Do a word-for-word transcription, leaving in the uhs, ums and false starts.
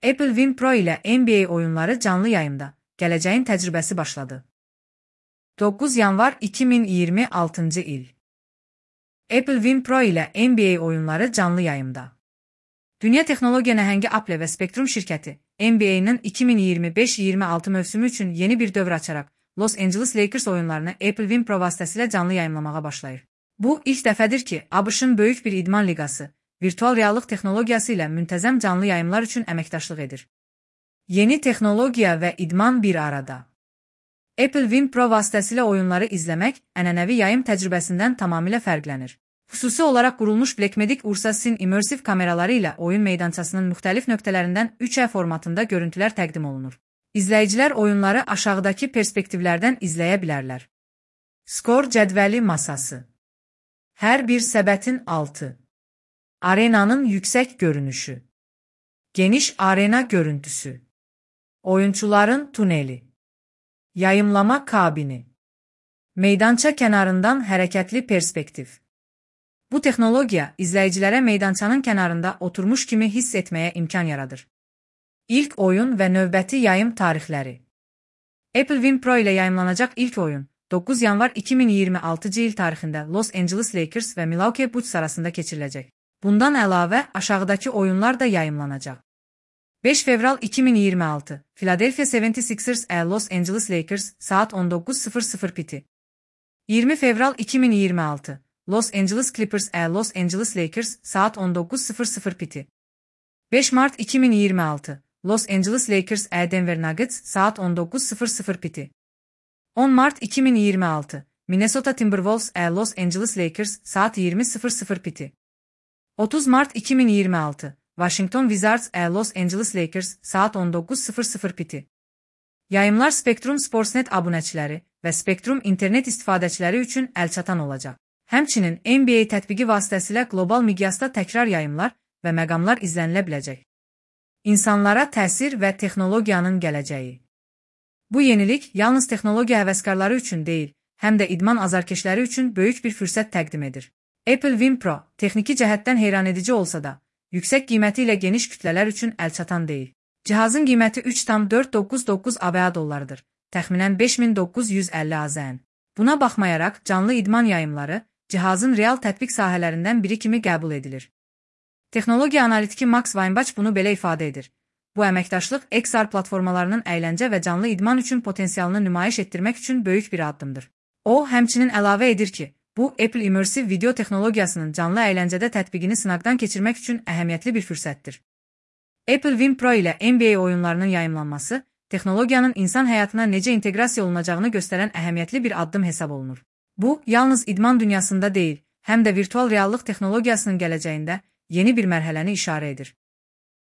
Apple Vision Pro ilə N B A oyunları canlı yayımda. Gələcəyin təcrübəsi başladı. doqquz yanvar iki min iyirmi altıncı il. Apple Vision Pro ilə N B A oyunları canlı yayımda. Dünya texnologiya nəhəngi Apple və Spectrum şirkəti N B A-nın iki min iyirmi beş iyirmi altı mövsümü üçün yeni bir dövr açaraq Los Angeles Lakers oyunlarını Apple Vision Pro vasitəsilə canlı yayımlamağa başlayır. Bu, ilk dəfədir ki, ABŞ-ın böyük bir idman liqası virtual reallıq texnologiyası ilə müntəzəm canlı yayımlar üçün əməkdaşlıq edir. Yeni texnologiya və idman bir arada. Apple Vision Pro vasitəsilə oyunları izləmək ənənəvi yayım təcrübəsindən tamamilə fərqlənir. Xüsusi olaraq qurulmuş Blackmagic Ursa Sin immersiv kameraları ilə oyun meydançasının müxtəlif nöqtələrindən üç E formatında görüntülər təqdim olunur. İzləyicilər oyunları aşağıdakı perspektivlərdən izləyə bilərlər. Skor cədvəli masası. Hər bir səbətin altı. Arenanın yüksək görünüşü. Geniş arena görüntüsü. Oyunçuların tuneli. Yayımlama kabini. Meydança kənarından hərəkətli perspektiv. Bu texnologiya izləyicilərə meydançanın kənarında oturmuş kimi hiss etməyə imkan yaradır. İlk oyun və növbəti yayım tarixləri. Apple Vision Pro ilə yayımlanacaq ilk oyun doqquz yanvar iki min iyirmi altıncı il tarixində Los Angeles Lakers və Milwaukee Bucks arasında keçiriləcək. Bundan əlavə aşağıdakı oyunlar da yayımlanacaq. beş fevral iki min iyirmi altı Philadelphia seventy sixers e Los Angeles Lakers saat on doqquz sıfır sıfır piti. iyirmi fevral iki min iyirmi altı Los Angeles Clippers e Los Angeles Lakers saat on doqquz sıfır sıfır piti. beş Mart iki min iyirmi altı Los Angeles Lakers e Denver Nuggets saat on doqquz sıfır sıfır piti. on Mart iki min iyirmi altı Minnesota Timberwolves e Los Angeles Lakers saat yirmi sıfır sıfır piti. otuz Mart iki min iyirmi altı Washington Wizards e Los Angeles Lakers saat on doqquz sıfır sıfır piti. Yayımlar Spectrum Sportsnet abunəçiləri və Spectrum internet istifadəçiləri üçün əlçatan olacaq. Həmçinin N B A tətbiqi vasitəsilə qlobal miqyasda təkrar yayımlar və məqamlar izlənilə biləcək. İnsanlara təsir və texnologiyanın gələcəyi. Bu yenilik yalnız texnologiya həvəskarları üçün deyil, həm də idman azarkeşləri üçün böyük bir fürsət təqdim edir. Apple Vision Pro texniki cəhətdən heyranedici olsa da, yüksək qiyməti ilə geniş kütlələr üçün əlçatan deyil. Cihazın qiyməti üç min dörd yüz doxxuzun doqquz ABŞ dollarıdır, təxminən beş min doqquz yüz əlli AZN. Buna baxmayaraq, canlı idman yayımları cihazın real tətbiq sahələrindən biri kimi qəbul edilir. Texnologiya analitiki Max Weinbach bunu belə ifadə edir. Bu əməkdaşlıq X R platformalarının əyləncə və canlı idman üçün potensialını nümayiş etdirmək üçün böyük bir addımdır. O, həmçinin əlavə edir ki, bu, Apple immersiv video texnologiyasının canlı əyləncədə tətbiqini sınaqdan keçirmək üçün əhəmiyyətli bir fürsətdir. Apple Vision Pro ilə N B A oyunlarının yayımlanması, texnologiyanın insan həyatına necə inteqrasiya olunacağını göstərən əhəmiyyətli bir addım hesab olunur. Bu, yalnız idman dünyasında deyil, həm də virtual reallıq texnologiyasının gələcəyində yeni bir mərhələni işarə edir.